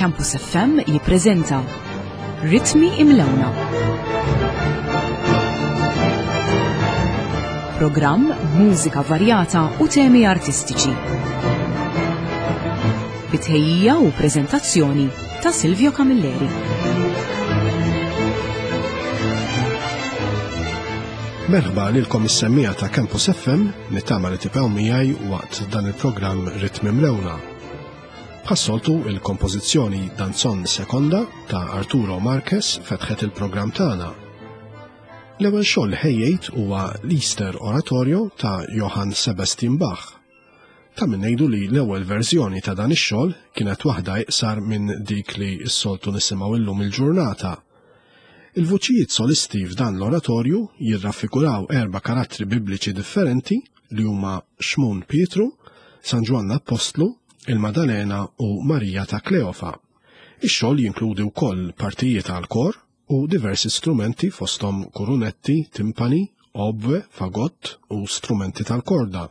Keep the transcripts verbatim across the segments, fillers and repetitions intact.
Campus F M jippreżenta Ritmi Imlewna. Programm mużika varjata u temi artistiċi. Bitħejjija u preżentazzjoni ta' Silvio Camilleri. Merħba lilkom is-semmija ta' Campus F M, nittama li tibqgħu miegħi waqt dan il-programm Ritmi Mlewna. Bħas-soltu il-kompożizzjoni Danzon Seconda ta' Arturo Marquez fetħet il-programm tagħna. L-ewwel xogħol ħejjejt huwa l-Easter Oratorio ta' Johann Sebastian Bach. Ta' min ngħidu li l-ewwel verżjoni ta' dan ix-xogħol kienet waħda iqsar minn dik li s-soltu nisimgħu illum il-ġurnata. Il-vuċijiet solisti f'dan l-oratorju jirraffiguraw erba' karattri bibliċi differenti li huma Xmun Pietru, San Ġwann l-Appostlu, il-Madalena u Marija ta' Kleofa. Ix-xogħol jinkludi wkoll partijiet għal kor u diversi strumenti fosthom kurunetti, timpani, obwe, fagott u strumenti tal-korda.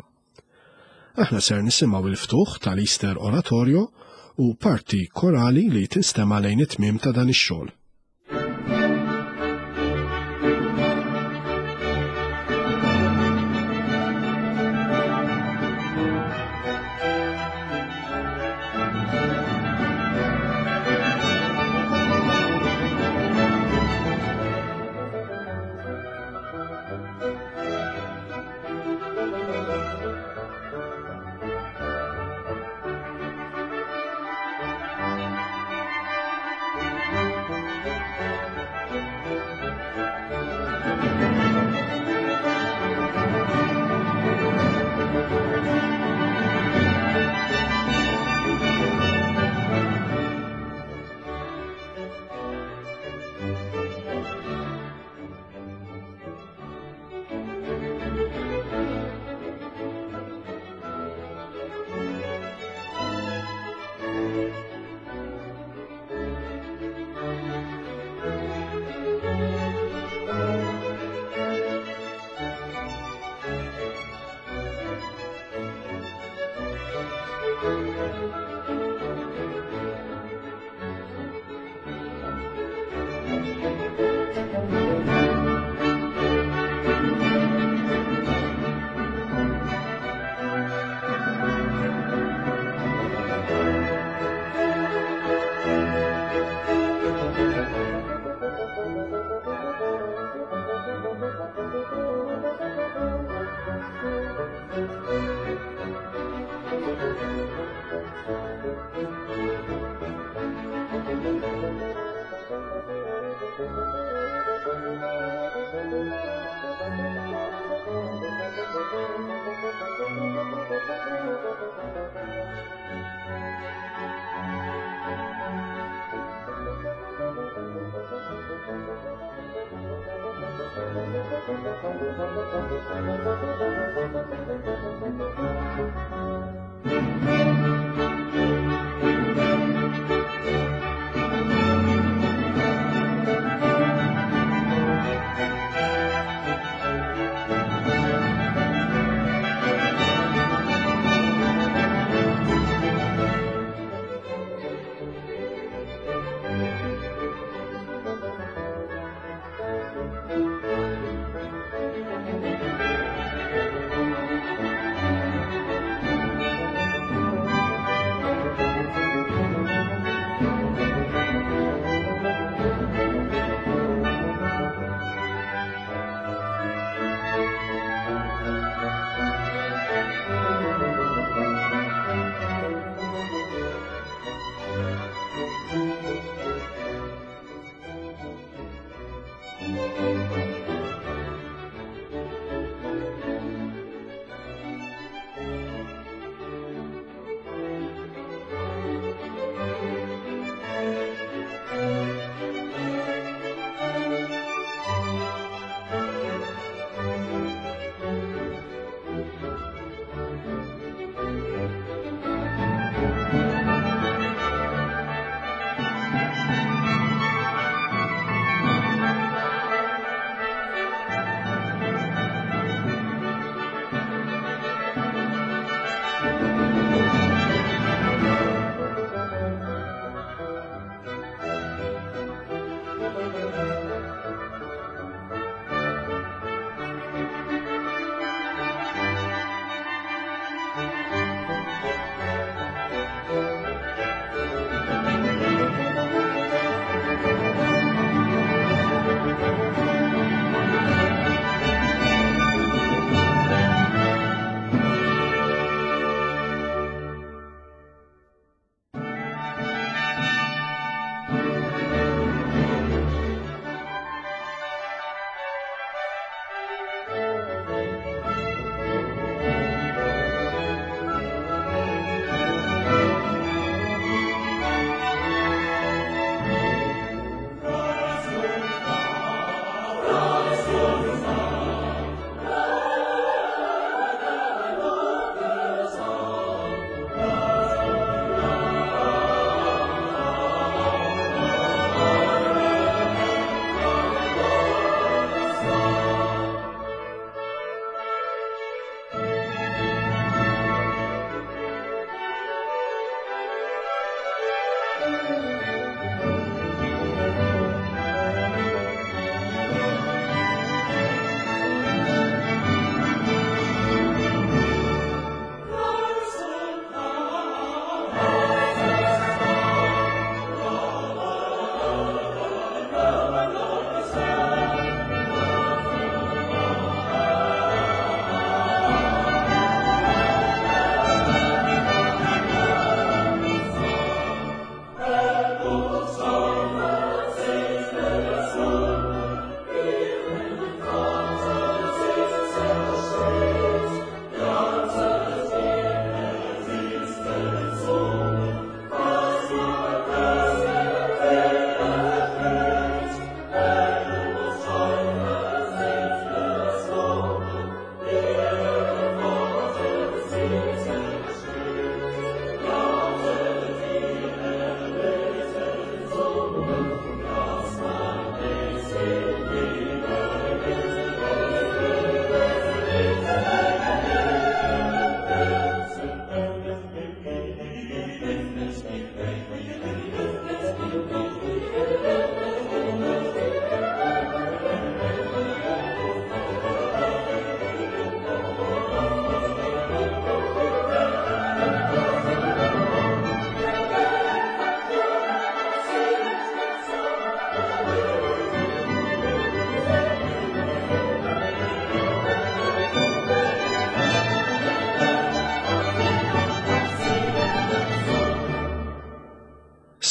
Aħna ser nisimgħu il-ftuħ tal-Easter Oratorio u parti korali li tinstema' lejn it-tmiem ta' dan ix-xogħol.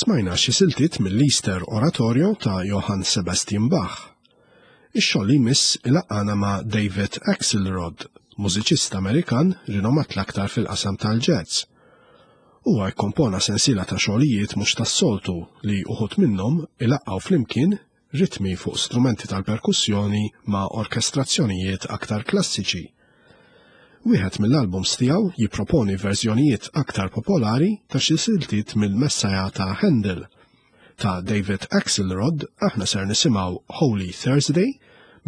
Smajna xi siltiet mill-Easter Oratorio ta' Johann Sebastian Bach. Ix-xogħol li jmiss ilaqqana ma' David Axelrod, mużiċista Amerikan rinomat l-aktar fil-qasam tal-jazz. Huwa kkompona sensiela ta' xogħlijiet mhux tas-soltu li uħud minnhom ilaqqgħu flimkien ritmi fuq strumenti tal-perkussjoni ma' orkestrazzjonijiet aktar klassiċi. Wieħed mill-albums tiegħu jipproponi verżjonijiet aktar popolari ta' xi siltiet mill-Messiah ta' Handel. Ta' David Axelrod aħna ser nisimgħu Holy Thursday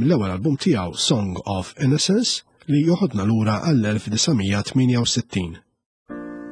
mill-ewwel album tiegħu Song of Innocence li joħodna lura għall-elf disa' mija tmienja u sittin. Thank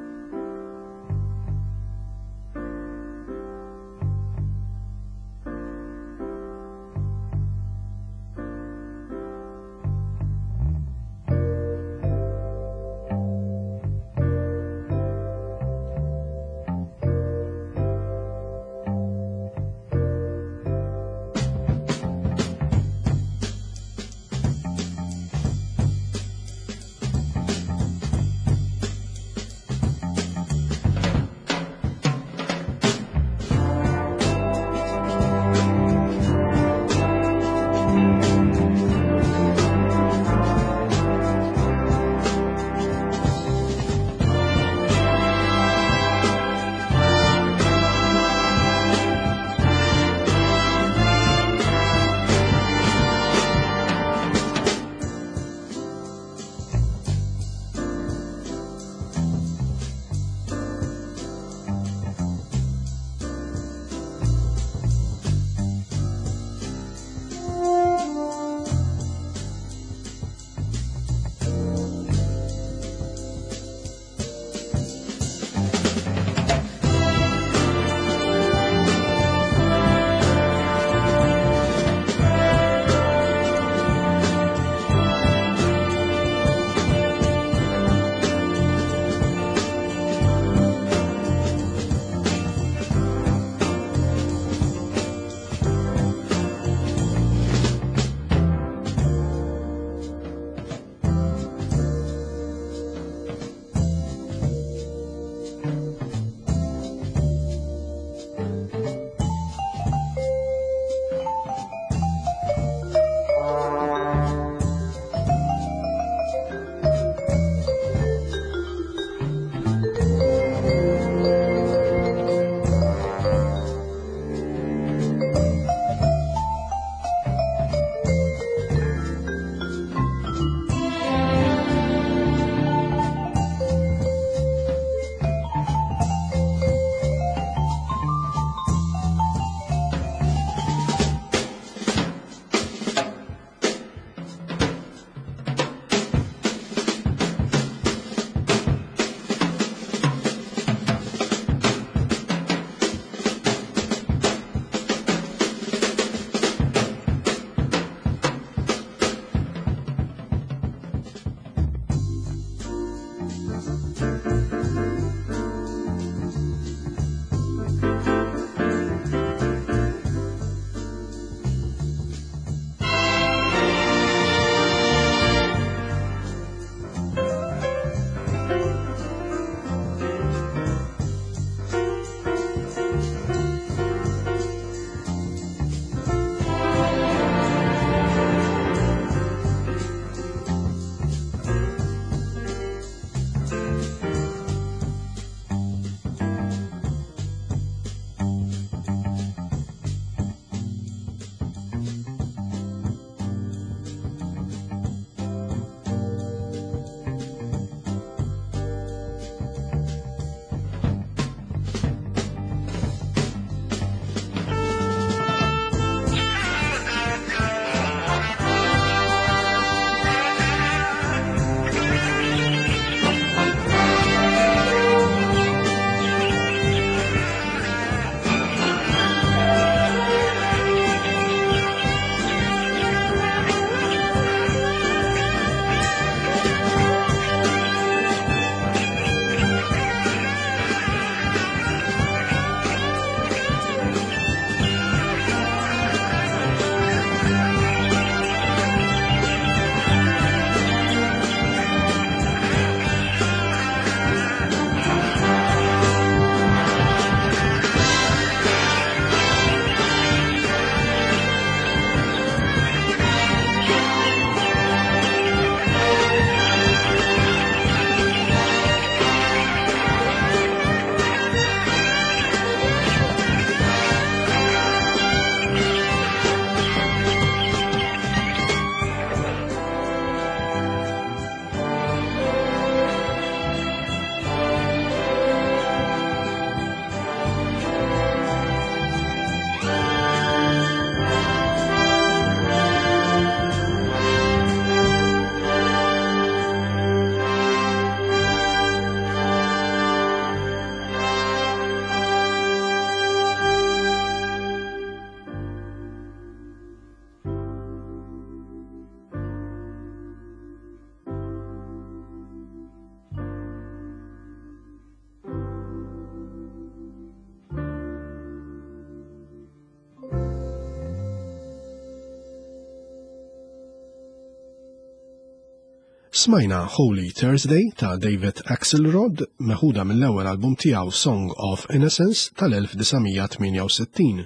Smajna Holy Thursday ta' David Axelrod meħuda mill-ewwel album tiegħu Song of Innocence tal-elf disa' mija tmienja u sittin.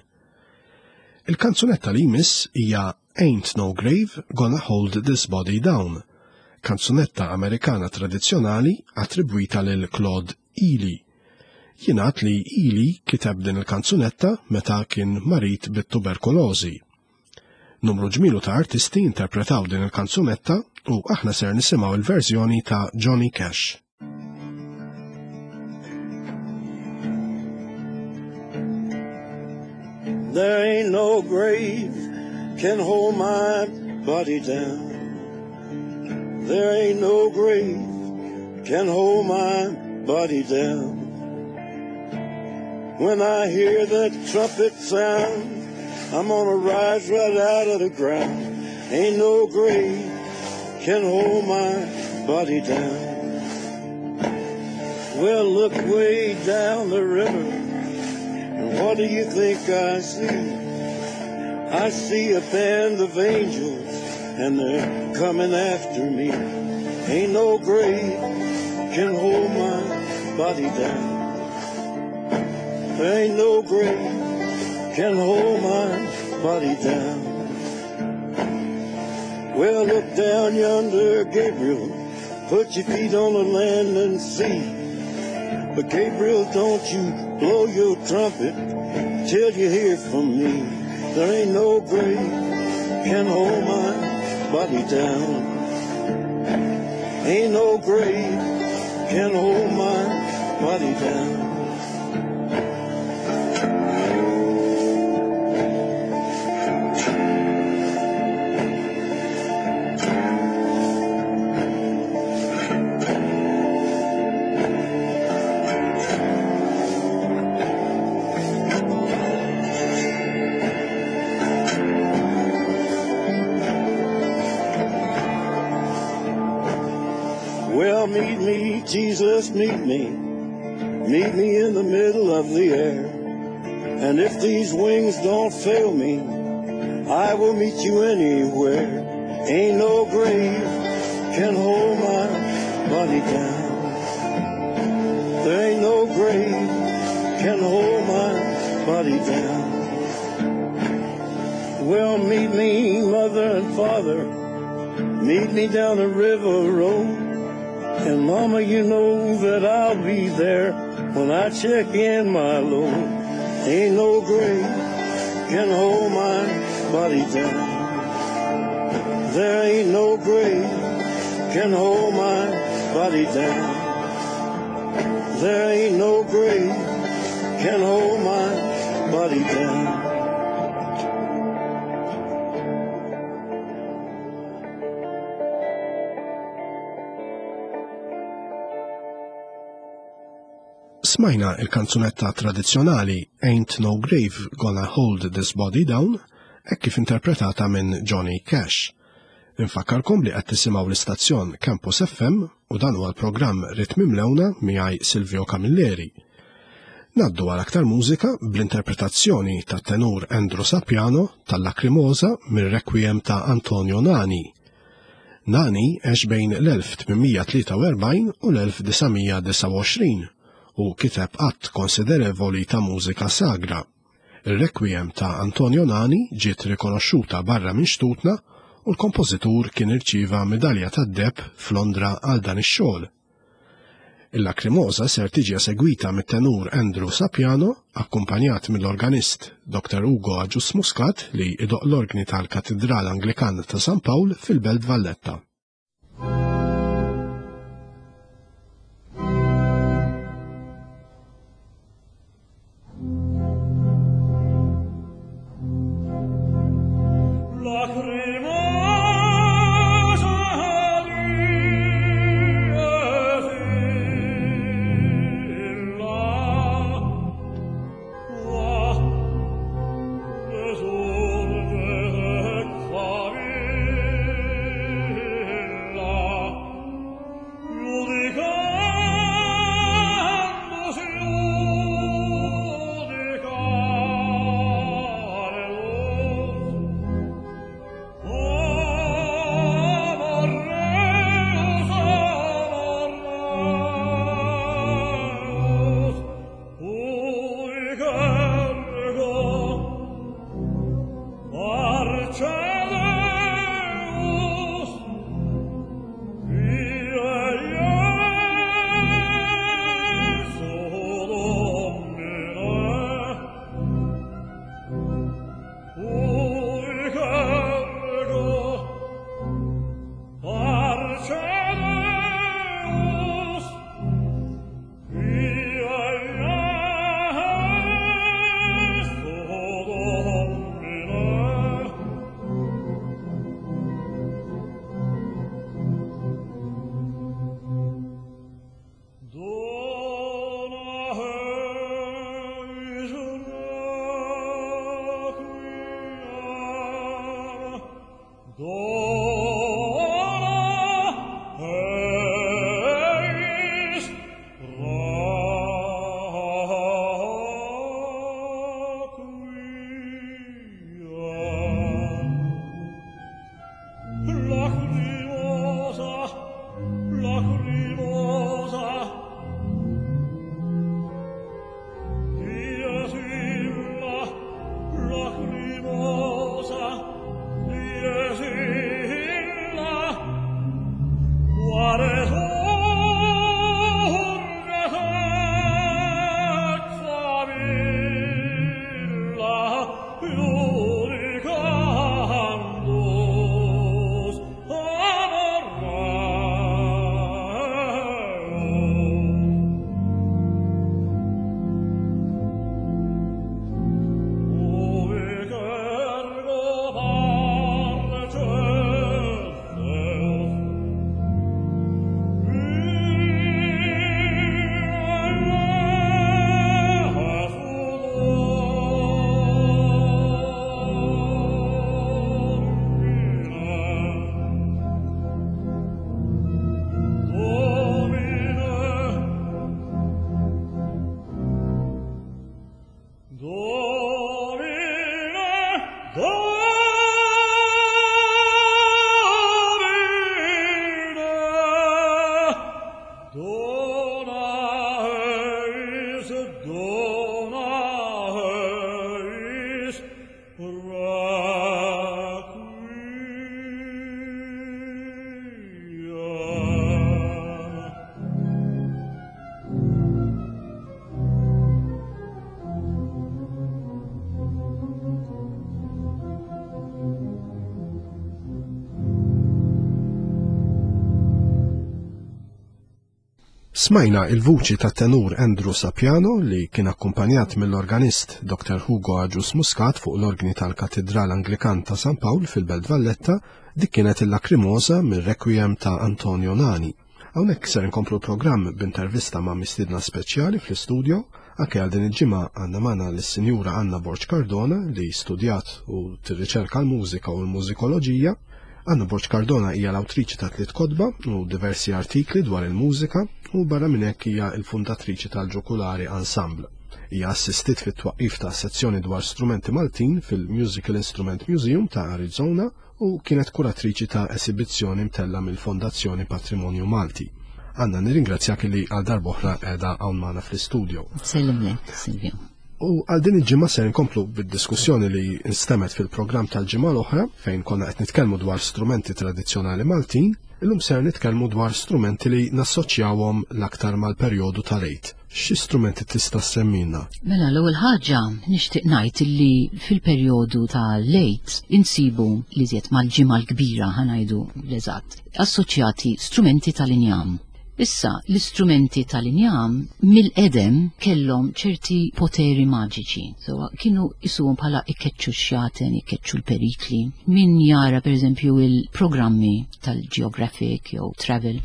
Il-kanzunetta li jmiss hija Ain't No Grave Gonna Hold This Body Down, kanzunetta Amerikana tradizzjonali attribwita lil Claude Ely. Jingħad li Ely kiteb din il-kanzunetta meta kien marid bit-tuberkulożi. Numru ġmielu ta' artisti interpretaw din il-kanzunetta u aħna ser nisimgħu il-verżjoni ta' Johnny Cash. There ain't no grave can hold my body down. There ain't no grave can hold my body down. When I hear that trumpet sound, I'm gonna rise right out of the ground. Ain't no grave can hold my body down. Well, look way down the river, and what do you think I see? I see a band of angels, and they're coming after me. Ain't no grave can hold my body down. There ain't no grave can hold my body down. Well, look down yonder, Gabriel, put your feet on the land and see. But Gabriel, don't you blow your trumpet till you hear from me. There ain't no grave can hold my body down. Ain't no grave can hold my body down. Well, meet me, Jesus, meet me. Meet me in the middle of the air. And if these wings don't fail me, I will meet you anywhere. Ain't no grave can hold my body down. There ain't no grave can hold my body down. Well, meet me, mother and father. Meet me down the river road. And mama, you know that I'll be there when I check in my load. Ain't no grave can hold my body down. There ain't no grave can hold my body down. There ain't no grave can hold my body down. Smajna il-kanzunetta tradizzjonali Ain't No Grave Gonna Hold This Body Down, hekk kif interpretata minn Johnny Cash. Infakkarkom li qed tisimgħu l-istazzjon Campus F M u dan huwa l-programm Ritmi Mlewna miegħi Silvio Camilleri. Naddu għal aktar mużika bl-interpretazzjoni ta' tenur Andrew Sapiano tal-Lacrimosa mir-Requiem ta' Antonio Nani. Nani għex bejn l-elf tmien mija tlieta u erbgħin u l-elf disa' mija disgħa u għoxrin u kiteb għadd konsiderevoli ta' mużika sagra. Il-Requiem ta' Antonio Nani ġiet rikonoxxuta barra minn xtutna u l-kompożitur kien irċieva medalja tad-deheb f'Londra għal dan ix-xogħol. Il-Lacrimosa ser tiġi esegwita mit-tenur Andrew Sapiano, akkumpanjat mill-organist Doctor Ugo Agius Muscat li idoq l-organi tal-Katedral Anglikan ta' San Pawl fil-Belt Valletta. Lacrimosa. Smajna il-vuċi ta' tenur Andrew Sapiano li kien akkumpanjat mill-organist Doctor Hugo Agius Muscat fuq l-organi tal-Katedral Anglikan ta' San Pawl fil-Belt Valletta, dik kienet il-Lacrimosa mir-Requiem ta' Antonio Nani. Hawnhekk ser inkomplu l-programm b'intervista ma' mistiedna speċjali fl-istudio, anke għal din il-ġimgħa għandna magħna lis-Sinjura Anna Borg Cardona li studjat u tirriċerka l-mużika u l-mużikoloġija. Anna Borg Cardona hija l-awtriċi ta' tliet kotba u diversi artikli dwar il-mużika u barra minn hekk hija l-fundatriċi tal-Ġukulari Ensemble. Hija assistit fit-twaqqif ta' sezzjoni dwar strumenti Maltin fil-Musical Instrument Museum ta' Arizona u kienet kuratriċi ta' esibizzjoni mtella mill-Fondazzjoni Patrimonju Malti. Anna, nirringrazzjak li għal darb'oħra qiegħda hawn magħna fl-istudio. Sellimlek, Silvio. U għal din il-ġimgħa ser inkomplu bid-diskussjoni li nstemet fil-programm tal-ġimgħa l-oħra fejn konna qed nitkellmu dwar strumenti tradizzjonali Maltin, illum ser nitkellmu dwar strumenti li nassoċjawhom l-aktar mal-perjodu tal-Għid. Xi strumenti tista' semmina? Mela, l-ewwel ħaġa nixtieq ngħid illi fil-perjodu tal-Għid insibu li żjed mal-ġimgħa l-kbira, ħa ngħidu l-eżatt, assoċjati strumenti tal-injam. Issa, l-istrumenti tal-injam mill-qedem kellhom ċerti poteri maġiċi. So, kienu jisuhom bħala ikeċċu x-xjaten, ikeċċu l-perikli. Min jara, per eżempju, il-programmi tal-Geographic jew Travel,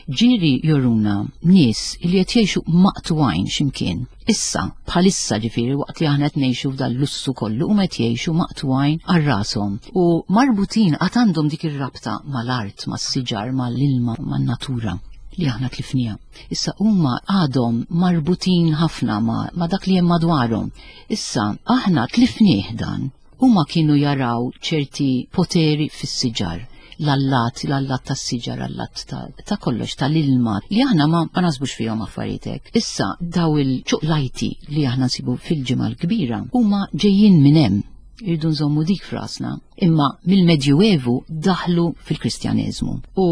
ġieli juruna nies li qed jgħixu maqtugħin x'imkien. Issa, bħalissa ġifieri, waqt li aħna qed ngħixu f'dal lussu kollu, huma qed jgħixu maqtugħin għal rashom u marbutin għad għandhom dik ir-rabta mal-art, mas-siġar, mal-ilma, man-natura li aħna tlifnija. Issa huma għadhom marbutin ħafna ma, ma dak li hemm madwarhom. Issa aħna tlifnieh dan. Huma kienu jaraw ċerti poteri fis-siġar, l-allat, l-allat tas-siġar, allat ta', ta' kollox, tal-ilma, li aħna ma, ma nasbux fihom affarijiet. Issa daw il-ċuqlajti li aħna nsibu fil-ġimgħa l-kbira huma ġejjin minn hemm. Irridu nżommu dik frasna. Imma mill-Medjuevu daħlu fil-Kristjaneżmu. U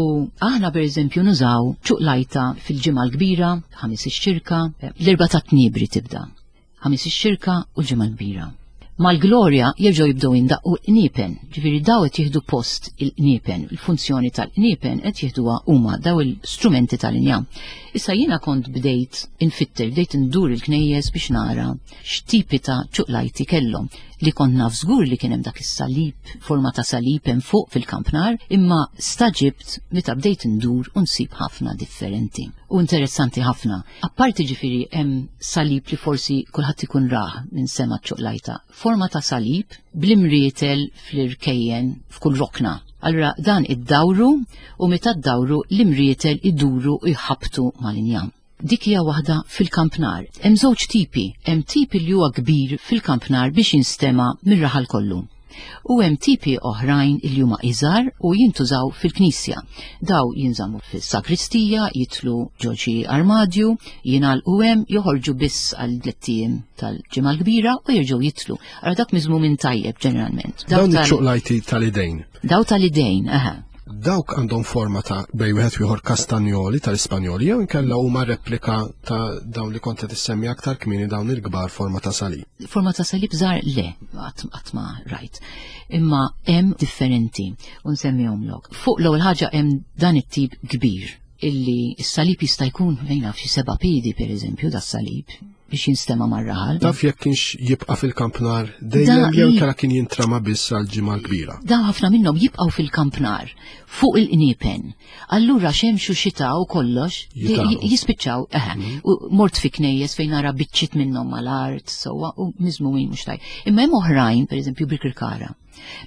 aħna per eżempju nużaw ċuqlajta fil-ġimgħa l-kbira, ħamis ix-xirka, l-Erbgħa tat-Tniebri tibda. Ħamis ix-xirka u l-ġimgħa l-kbira. Mal-glorja jerġgħu jibdew jindaqqu qniepen, ġifieri daw qed jieħdu post il-qniepen, il-funzjoni tal-qniepen qed jieħduha huma daw il-strumenti tal-injam. Issa jiena kont bdejt infitter, bdejt indur il-knejjes biex nara x'tipi ta' ċuqlajti kellhom, li kont naf żgur li kien hemm dak is-salib, forma ta' salib hemm fuq fil-kampnar, imma staġibt meta bdejt indur u nsib ħafna differenti. U interessanti ħafna. Apparti ġifieri hemm salib li forsi kulħadd ikun rah minn sema ċuqlajta, forma ta' salib bl-imrietel fl-irkejjen f'kull rokna. Allura dan id-dawru u meta d-dawru l-imrietel iduru u jħabtu mal-injam. Dik hija waħda fil-kampnar. Hemm żewġ tipi, hemm tipi li huwa kbir fil-kampnar biex jinstema' mir-raħal kollu. U hemm tipi oħrajn li huma iżgħar u jintużaw fil-knisja. Daw jinżammu fis-sakristija, jitlu ġo xi armadju, jingħalqu hemm, joħorġu biss għal tliet ijiem tal-ġimgħa l-kbira u jerġgħu jitlu. Allura dak miżmum tajjeb ġeneralment. Dawn iċ-ċuqlajti tal-idejn. Daw tal-idejn, aha. Dawk għandhom forma ta' bej wieħed ieħor kastanjoli tal-Ispanjoli jew inkella huma replika ta' dawn li kont qed issemmi aktar kmieni, dawn il-kbar forma ta' salib. Forma ta' salib żgħar le, qatt ma rajt. Imma hemm differenti u nsemmihomlok. Fuq l-ewwel ħaġa hemm dan it-tip kbir illi s-salib jista' jkun fejn naf xi seba' piedi pereżempju das-salib biex jinstema' mar-raħal. Taf jekk kienx jibqa' fil-kampnar dejjem jew kara kien jintrama biss għal ġimgħa l-kbira. Da ħafna minnhom jibqgħu fil-kampnar fuq il-qniepen. Allura xemx u xita u kollox jispiċċaw, eħe, u mort fi knejjes fejn nara biċċiet minnhom mal-art, sewwa u miżmumin mhux tajb. Imma hemm oħrajn, pereżempju Birkirkara.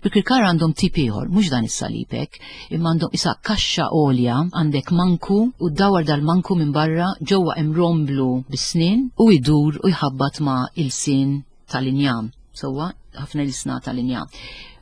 Birkirkara għandhom tip ieħor, mhux dan is-salibek, imma għandhom isa kaxxa għolja, għandek manku u ddawar dal-manku minn barra, ġewwa hemm romblu bis-snien u jdur u jħabbat ma' il-sin tal-injam. Sewwa, ħafna l-isna tal-injam.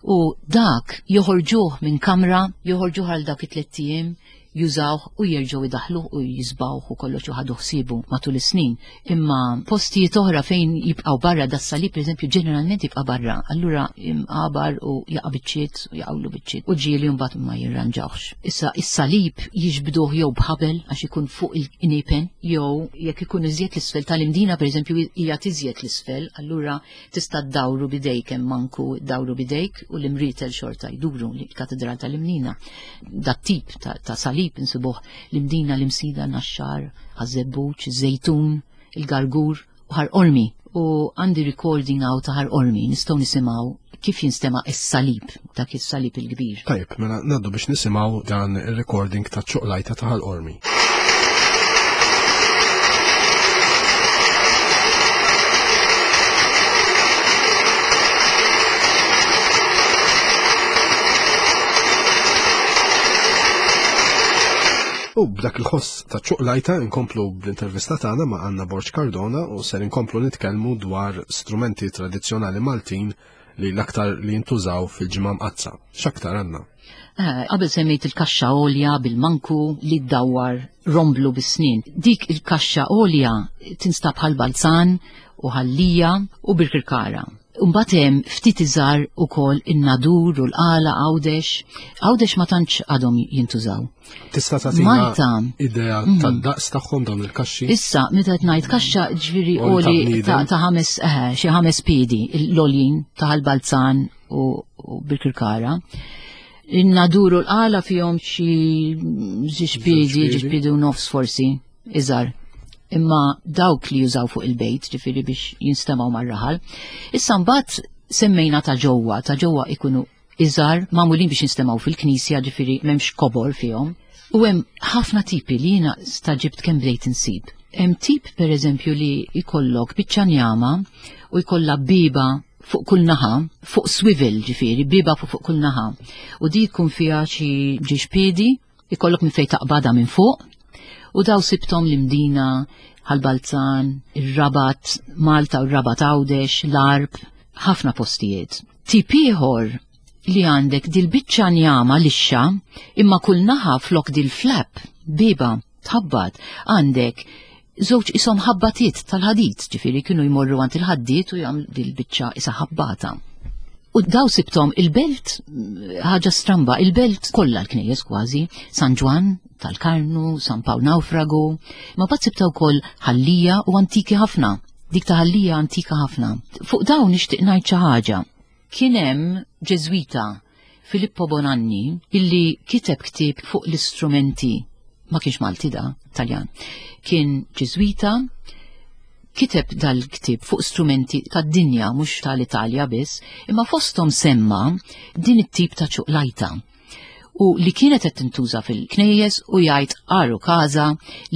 U dak joħorġuh minn kamra, joħorġuh għal dak it-tliet ijiem, jużawh u jerġgħu idaħluh u jisbawh u kollox u ħadu ħsiebu matul is-snin. Imma postijiet oħra fejn jibqgħu barra das-salib, pereżempju, ġeneralment jibqa' barra, allura imqabar u jaqa' biċċiet u jaqgħulu biċċiet u ġieli mbagħad ma jirranġawx. Issa is-salib jiġbduh jew b'ħabel għax ikun fuq il-qniepen, jew jekk ikun iżjed l-isfel tal-imdina, pereżempju, hija tiżjed l-isfel, allura tista' ddawru bidejk hemm manku ddawru bidejk u l-imrietel xorta jduru l-katedral tal-Imnina. Dat tip ta', ta salib insibuh l-Imdina, l-Imsida, Naxxar, Ħaż-Żebbuġ, Żejtun, il-Gargur u Ħal Qormi. U għandi recording hawn ta' Ħal Qormi, nistgħu nisimgħu kif jinstema' is-salib, dak is-salib il-kbir. Tajjeb, mela ngħaddu biex nisimgħu dan ir-recording ta' ċuqlajta ta' Ħal Qormi. U b'dak il-ħoss ta' ċuqlajta nkomplu bl-intervista tagħna ma' Anna Borg Cardona u ser inkomplu nitkellmu dwar strumenti tradizzjonali Maltin li l-aktar li jintużaw fil-Ġimgħa Mqaddsa. X'aktar għandna? Eh, qabel semmejt il-kaxxa għolja bil-manku li ddawwar romblu bis-snin. Dik il-kaxxa għolja tinstab Ħal Balzan u Ħal Lija u Birkirkara. Mbagħad hemm ftit iżgħar ukoll in-Nadur u l-Qala Għawdex. Għawdex ma tantx għadhom jintużaw. Tista' tagħtina Malta. idea Mm. tad-daqs tagħhom dawn il-kaxxi? Issa, meta qed ngħid kaxxa ġifieri Għoli ta' għoli bniedem. ta' ta' ħames eh, xi ħames piedi l-għoljin ta' Ħal Balzan u, u Birkirkara. In-Nadur u l-Qala fihom xi żewġ piedi, piedi. żewġ piedi u nofs forsi, iżgħar. Imma dawk li jużaw fuq il-bejt, ġifieri biex jinstemaw mar-raħal. Issa mbagħad semmejna ta' ġewwa, ta' ġewwa ikunu iżgħar, magħmulin biex jinstemaw fil-knisja, ġifieri m'hemmx kobor fihom. U hemm ħafna tipi li jiena staġibt kemm bdejt insib. Hemm tip pereżempju li jkollok biċċa njama u jkollha biba fuq kull naħa, fuq swivel ġifieri, biba fuq fuq kull naħa. U di jkun fiha xi ġiex piedi, ikollok minn fejn taqbadha minn fuq. U daw sibtom l-Imdina, Ħal Balzan, ir-Rabat, Malta u r-Rabat Għawdex, l-Għarb, ħafna postijiet. Tip ieħor li għandek dil-biċċa njama lixxa, imma kull naħa flok dil-flap, biba, tħabbat, għandek żewġ isom ħabbatiet tal-ħadid, ġifieri kienu jmorru għand il-ħaddiet u jagħmlu dil-biċċa isa ħabbata. U daw sibtom il-belt, ħaġa stramba, il-belt kollha l-knejjes kważi, San Ġwann tal-Karnu, San Pawl Naufragu, ma bat sibta wkoll Ħal Lija u antiki ħafna, dik ta' Ħal Lija antika ħafna. Fuq dawn nixtieq ngħid xi ħaġa. Kien hemm Ġeżwita Filippo Bonanni illi kiteb ktieb fuq l-istrumenti, ma kienx Malti da, Taljan. Kien Ġeżwita, kiteb dal-ktieb fuq strumenti tad-dinja, mhux tal-Italja biss, imma fosthom semma din it-tip ta' ċuqlajta. U li kienet qed tintuża fil-knejjes u jgħid għaru każa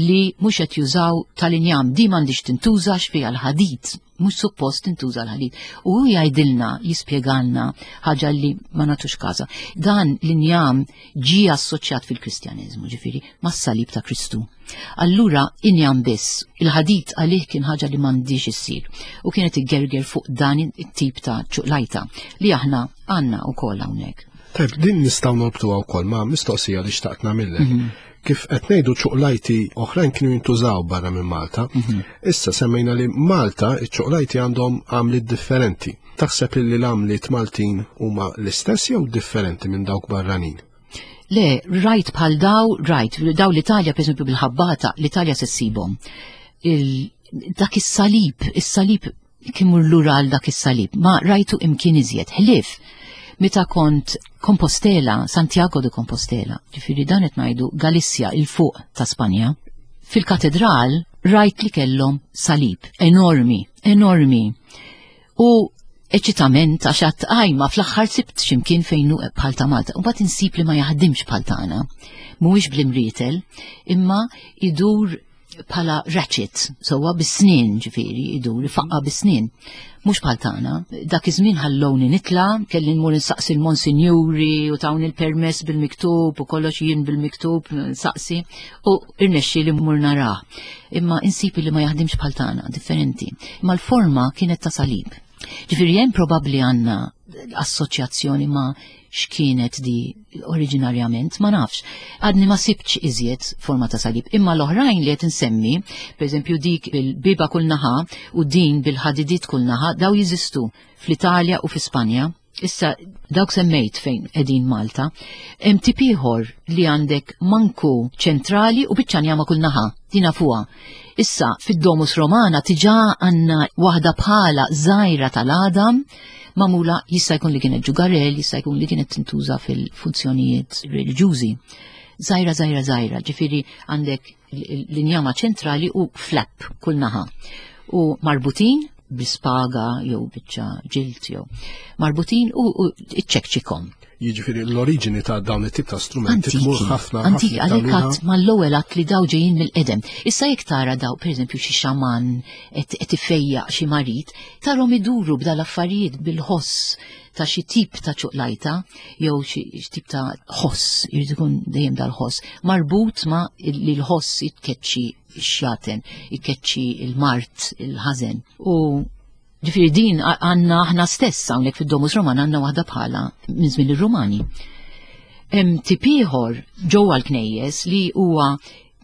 li mhux qed jużaw tal-injam, di m'għandix tintuża x'fiha l-ħadid, mhux suppost tintuża l-ħadid. U hu jgħidilna, jispjegalna ħaġa li ma nagħtux każa. Dan l-injam ġie assoċjat fil-Kristjaneżmu, ġifieri mas-salib ta' Kristu. Allura injam biss, il-ħadid għalih kien ħaġa li m'għandix issir u kienet igerger fuq dan it-tip ta' ċuqlajta li aħna għandna wkoll hawnhekk. Tajb, din nistgħu norbtuha wkoll ma' mistoqsija li xtaqt nagħmillek. Mhm. Kif qed ngħidu ċuqlajti oħrajn kienu jintużaw barra minn Malta, Mhm. issa semmejna li Malta iċ-ċuqlajti għandhom għamliet differenti. Taħseb li l-għamliet Maltin huma l-istess jew differenti minn dawk barranin? Le, rajt bħal daw, rajt, daw l-Italja, per esempio, bil-ħabbata, l-Italja se ssibhom. Il- Dak is-salib, is-salib kien mur lura għal dak is-salib, ma rajtu imkien iżjed, ħlief. Meta kont Compostela, Santiago de Compostela, ġifieri dan qed ngħidu Galizja, il-fuq ta' Spanja, fil-katedral rajt li kellhom salib enormi, enormi. U eċitament għax għadt għajma fl-aħħar sibt x'imkien fejn hu bħal ta' Malta. U mbagħad insib li ma jaħdimx bħal tagħna. Mhuwiex bl-imrietel, imma idur bħala ratchet, sewwa bis-snien ġifieri, idur ifaqqa bis-snien. Mhux bħal tagħna. Dak iż-żmien ħallowni nitla, kelli nmur insaqsi l-monsinjuri u tawni l-permess bil-miktub u kollox jien bil-miktub nsaqsi u irnexxi li mmur narah. Imma insib li ma jaħdimx bħal tagħna, differenti. Imma l-forma kienet ta' salib. Ġifieri hemm probabbli għandna assoċjazzjoni ma' x'kienet di oriġinarjament, ma nafx. Għadni ma sibtx iżjed forma ta' salib. Imma l-oħrajn li qed insemmi, pereżempju dik bil-biba kull naħa u din bil-ħadidiet kull naħa, daw jeżistu fl-Italja u fi Spanja. Issa dawk semmejt fejn qegħdin Malta, hemm tip ieħor li għandek manku ċentrali u biċċa njama kull naħa. Dina fuqha. Issa, fid-Domus Romana tiġa għandna waħda bħala żgħira tal-għadam magħmula, jista' jkun li kienet ġugarell, jista' jkun li kienet tintuża fil-funzjonijiet reliġjużi. Żgħira, żgħira, żgħira, ġifieri għandek l-injama ċentrali u flap kull naħa. U marbutin bispaga jew biċċa ġilt jew marbutin u, u iċċekċikom. Jiġifieri l-oriġini ta' dawn it-tip ta' strumenti tmur ħafna. Antiki, għalhekk għadt mal-ewwel għadt li daw ġejjin mill-qedem. Issa jekk tara daw, pereżempju, xi xaman qed ifejjaq xi marid, tarhom iduru b'dal-affarijiet bil-ħoss ta' xi tip ta' ċuqlajta jew xi tip ta' ħoss, jrid ikun dejjem dal-ħoss, marbut ma' li l-ħoss jitkeċċi x-xjaten, jitkeċċi il-mart, il-ħażen. U ġifieri din għandna aħna stess hawnhekk fid-Domus Romana għandna waħda bħala minn żmien ir-Rumani. Hemm tip ieħor ġewwa l-knejjes li huwa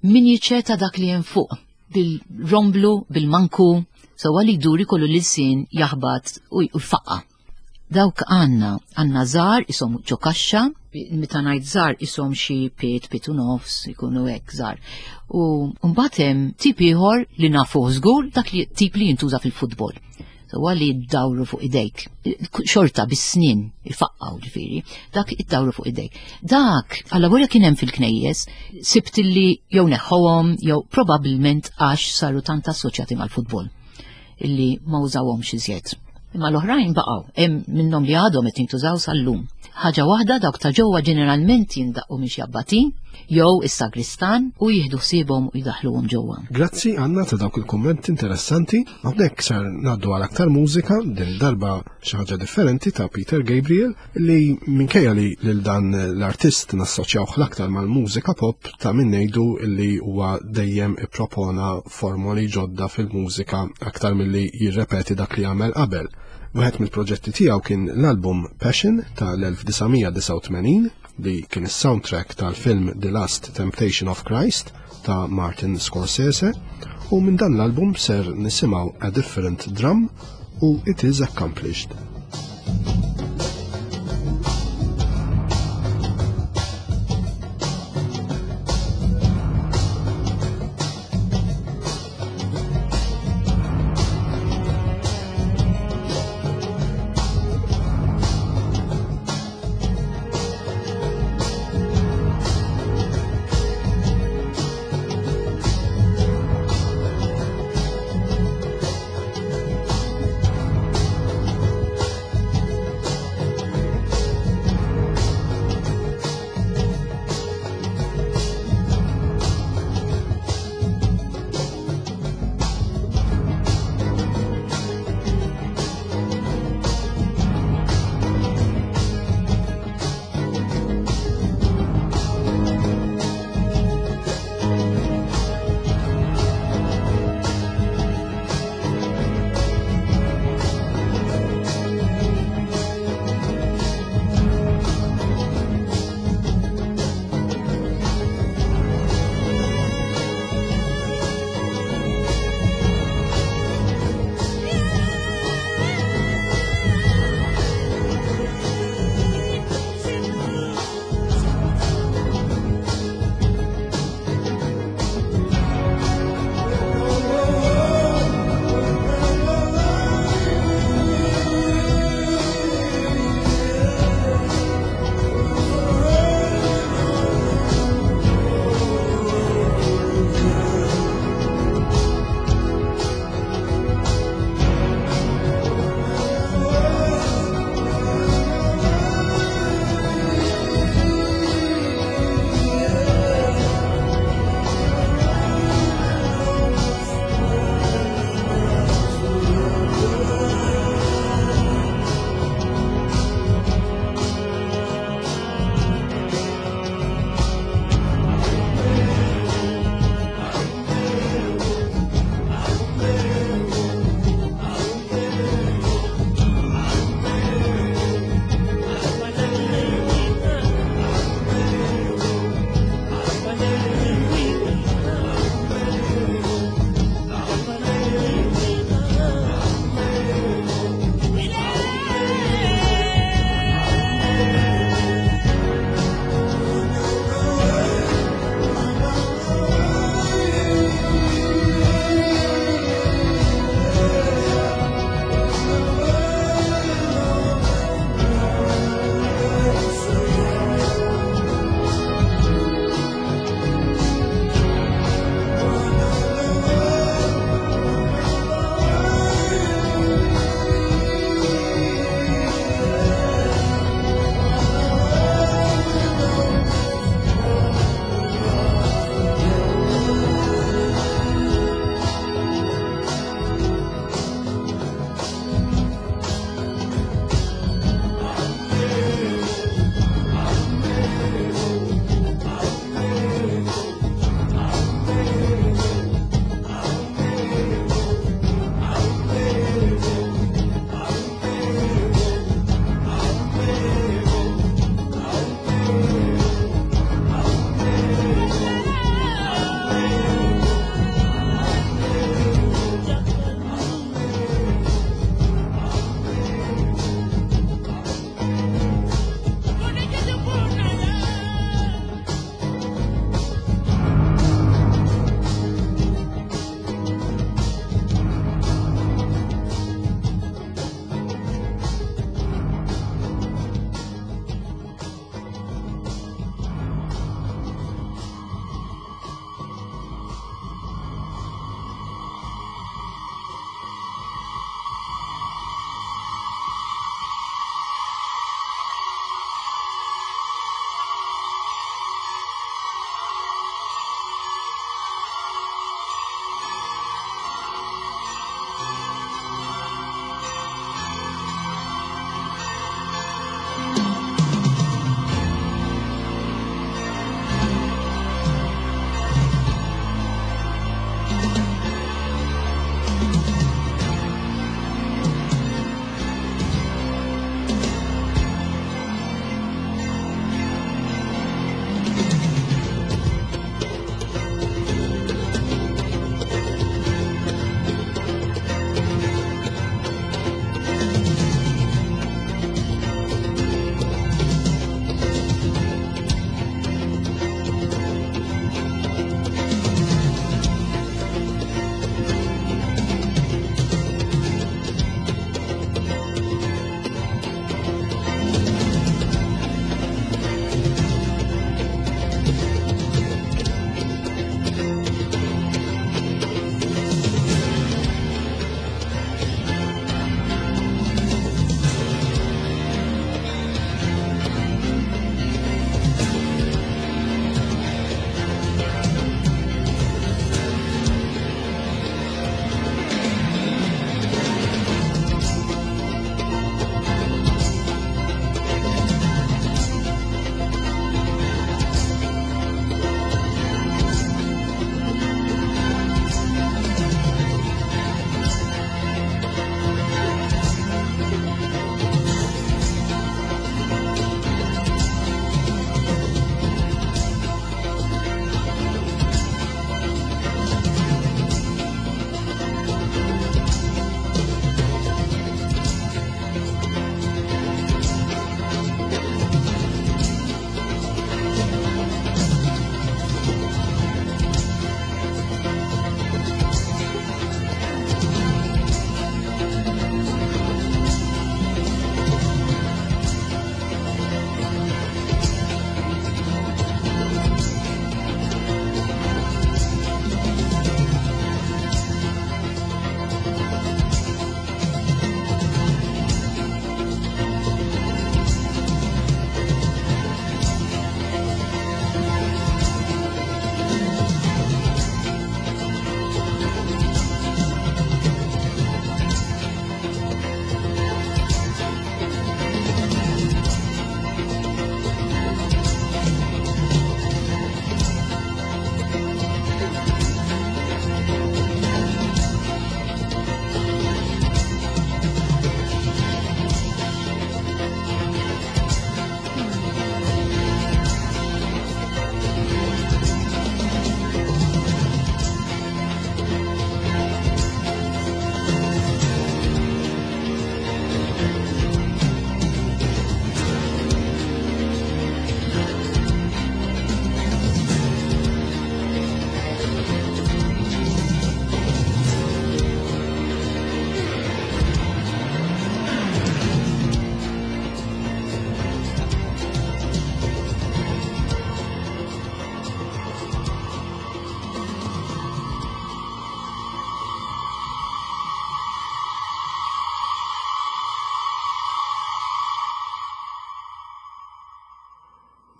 miniċe ta' dak li hemm fuq bil-romblu, bil-manku, sewwa li jdur ikollu l-ilsien jaħbat u jfaqqa. Dawk għandna, għandna żgħar ishom ġo kaxxa, meta ngħid żgħar ishom xi piet, piet u nofs, ikunu hekk żgħar. U mbagħad hemm tip ieħor li nafuh żgur, dak li tip li jintuża fil-futbol. Sewwa li ddawru fuq idejk. Xorta bis-snin ifaqqaw ġifieri, dak iddawru fuq idejk. Dak, alla wara kien hemm fil-knejjes, sibt li jew neħħuhom jew probabbilment għax saru tant assoċjati mal-futbol illi ma użawhomx iżjed. Imma l-oħrajn baqgħu, hemm minnhom li għadhom qed jintużaw sal-lum. Ħaġa waħda, dawk ta' ġewwa ġeneralment jindaqqu minn xi abbatin jew is-sagristan u jieħdu ħsiebhom u jdaħħluhom ġewwa. Grazzi Anna ta' dawk il-kummenti interessanti. Hawnhekk sar ngħaddu għal aktar mużika, din darba xi ħaġa differenti ta' Peter Gabriel, li minkejja li lil dan l-artist nassoċjawh l-aktar mal-mużika pop, ta' min ngħidu li huwa dejjem ippropona formoli ġodda fil-mużika aktar milli jirrepeti dak li għamel qabel. Wieħed mill-proġetti tiegħu kien l-album Passion tal-elf disa' mija disgħa u tmenin, li kien is-soundtrack tal-film The Last Temptation of Christ ta' Martin Scorsese, u minn dan l-album ser nisimgħu A Different Drum u It Is Accomplished.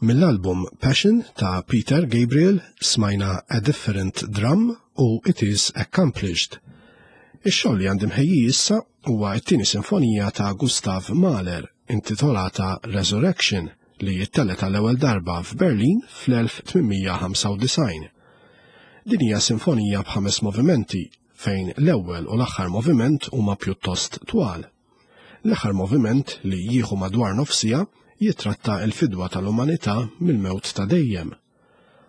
Mill-album Passion ta' Peter Gabriel smajna A Different Drum u It Is Accomplished. Ix-xogħol li għandi mħejji issa huwa t-tieni sinfonija ta' Gustav Mahler intitolata Resurrection li jittellgħet għall-ewwel darba f'Berlin fl-elf tmien mija ħamsa u disgħin. Din hija sinfonija b'ħames movimenti fejn l-ewwel u l-aħħar moviment huma pjuttost twal. L-aħħar moviment li jieħu madwar nofsija jitratta l-fidwa tal-umanità mill-mewt ta' dejjem.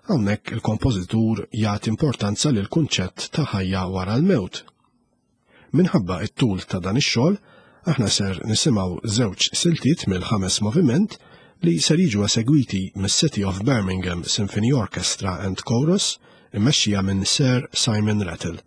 Hawnhekk il-kompożitur jagħti importanza lil kunċett ta' ħajja wara l-mewt. Minħabba t-tul ta' dan ix-xogħol, aħna ser nisimgħu żewġ siltiet mill-ħames moviment li ser jiġu esegwiti mis-City of Birmingham Symphony Orchestra and Chorus immexxija minn Sir Simon Rattle.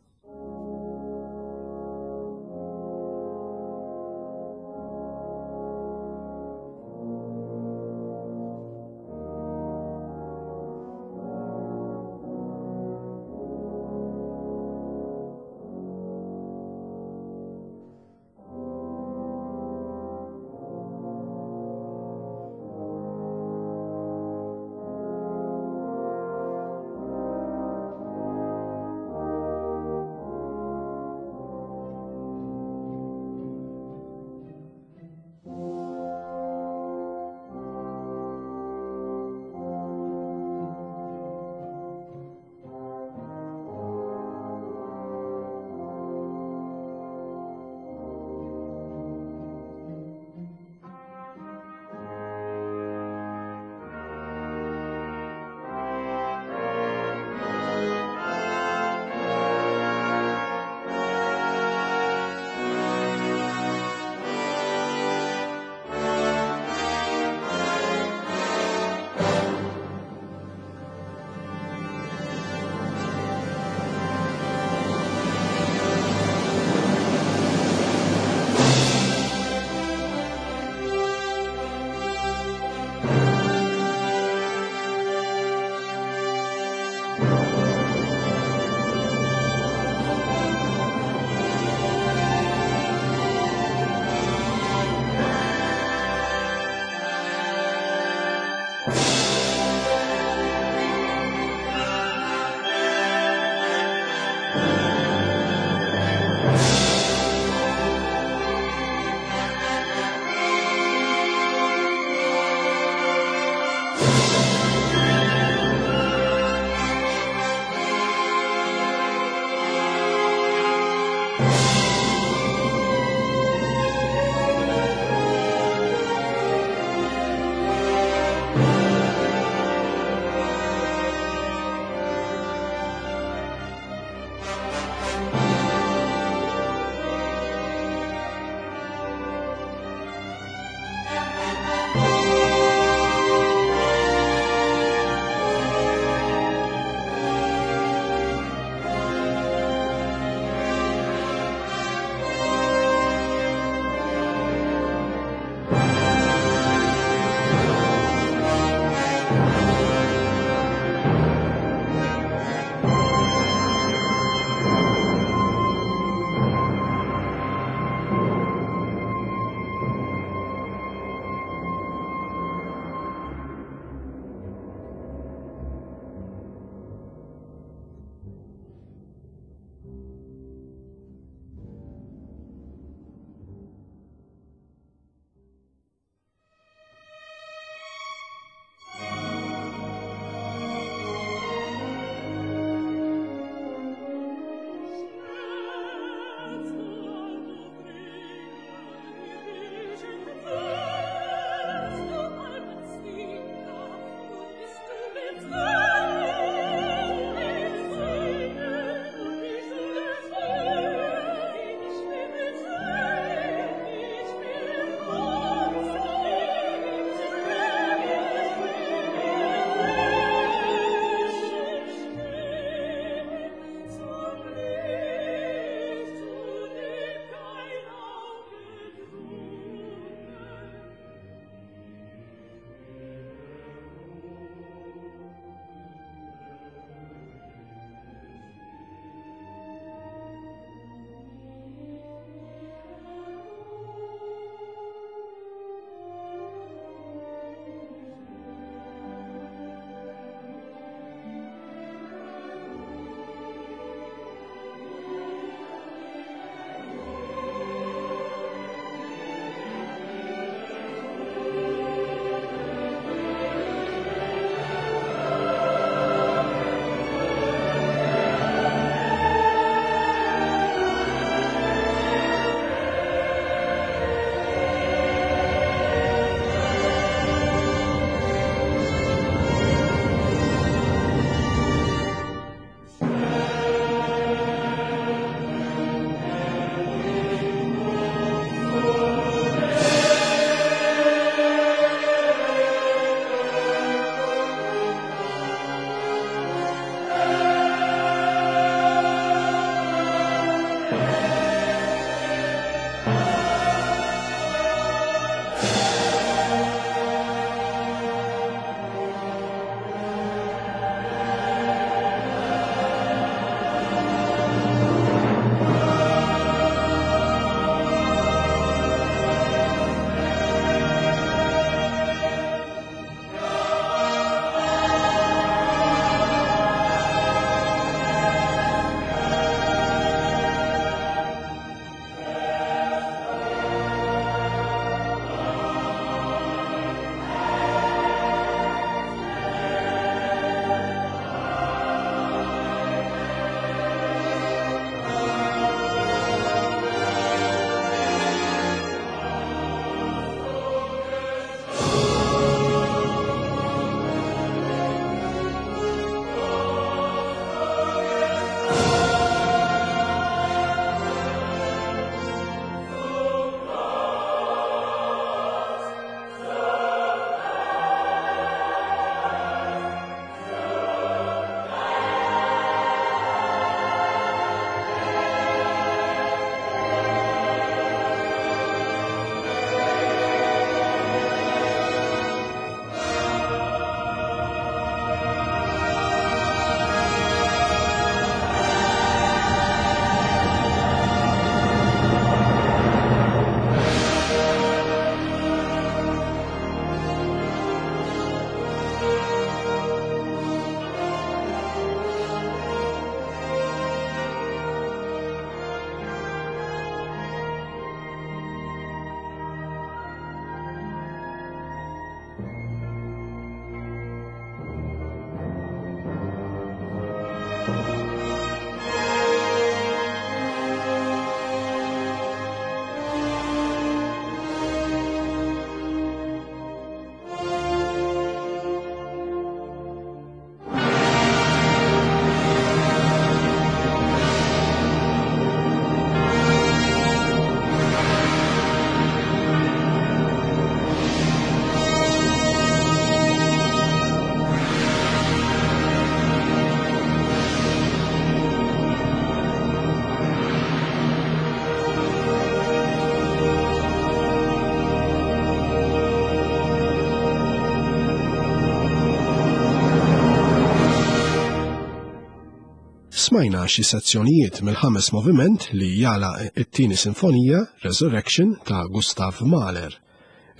Smajna xi sezzjonijiet mill-ħames moviment li jala it-tieni sinfonija Resurrection ta' Gustav Mahler.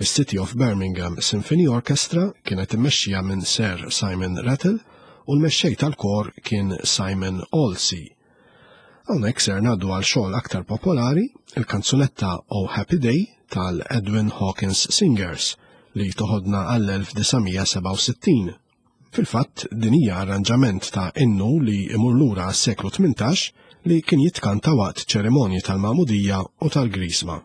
Is-City of Birmingham Symphony Orchestra kienet immexxija minn Sir Simon Rattle u l-mexxej tal-kor kien Simon Olsey. Hawnhekk ser ngħaddu għal xogħol aktar popolari, il-kanzunetta Oh Happy Day tal-Edwin Hawkins Singers li toħodna għall-elf disa' mija sebgħa u sittin. Fil-fatt, din hija arranġament ta' innu li imur lura għas-seklu tmintax li kien jitkanta waqt ċerimonji tal-Magħmudija u tal-Grisma.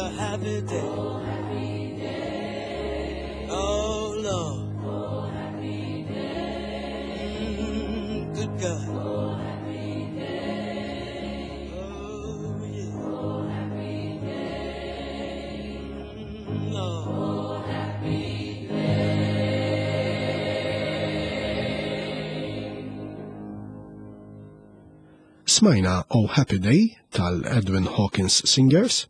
a happy day. Oh, happy day. Oh, Lord. Oh, happy day. Mm, good God. Oh, happy day. Oh, yeah. Oh, happy day. Mm, Lord. Oh, happy day. Smajna Oh Happy Day tal-Edwin Hawkins Singers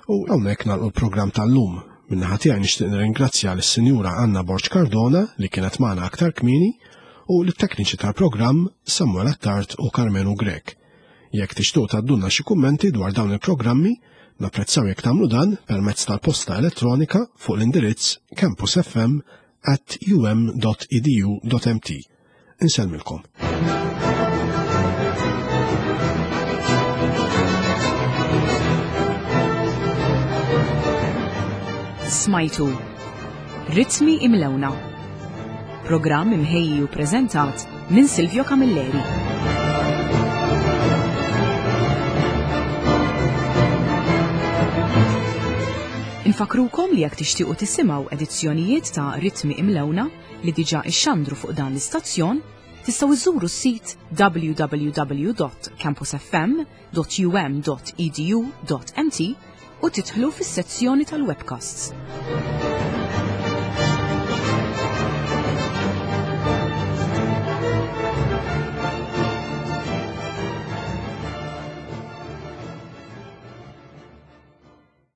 u hawnhekk nagħlqu l-programm tal-lum. Min-naħa tiegħi nixtieq nirringrazzja lis-Sinjura Anna Borg Cardona li kienet magħna aktar kmieni u lit-tekniċi tal-programm Samuel Attard u Carmenu Grech. Jekk tixtuq tgħaddulna xi kummenti dwar dawn il-programmi, napprezzaw jekk tagħmlu dan permezz tal-posta elettronika fuq l-indirizz campusfm at um dot edu dot M T. Insellmilkom. Smajtu Ritmi Imlewna. Programm imħejji u preżentat minn Silvio Camilleri. Infakrukom li jekk tixtiequ tisimgħu edizzjonijiet ta' Ritmi Imlewna li diġà ixxandru fuq dan l-istazzjon, tistgħu iżuru s-sit W W W dot campusfm dot U M dot E D U dot M T u tidħlu fis-sezzjoni tal-webcasts.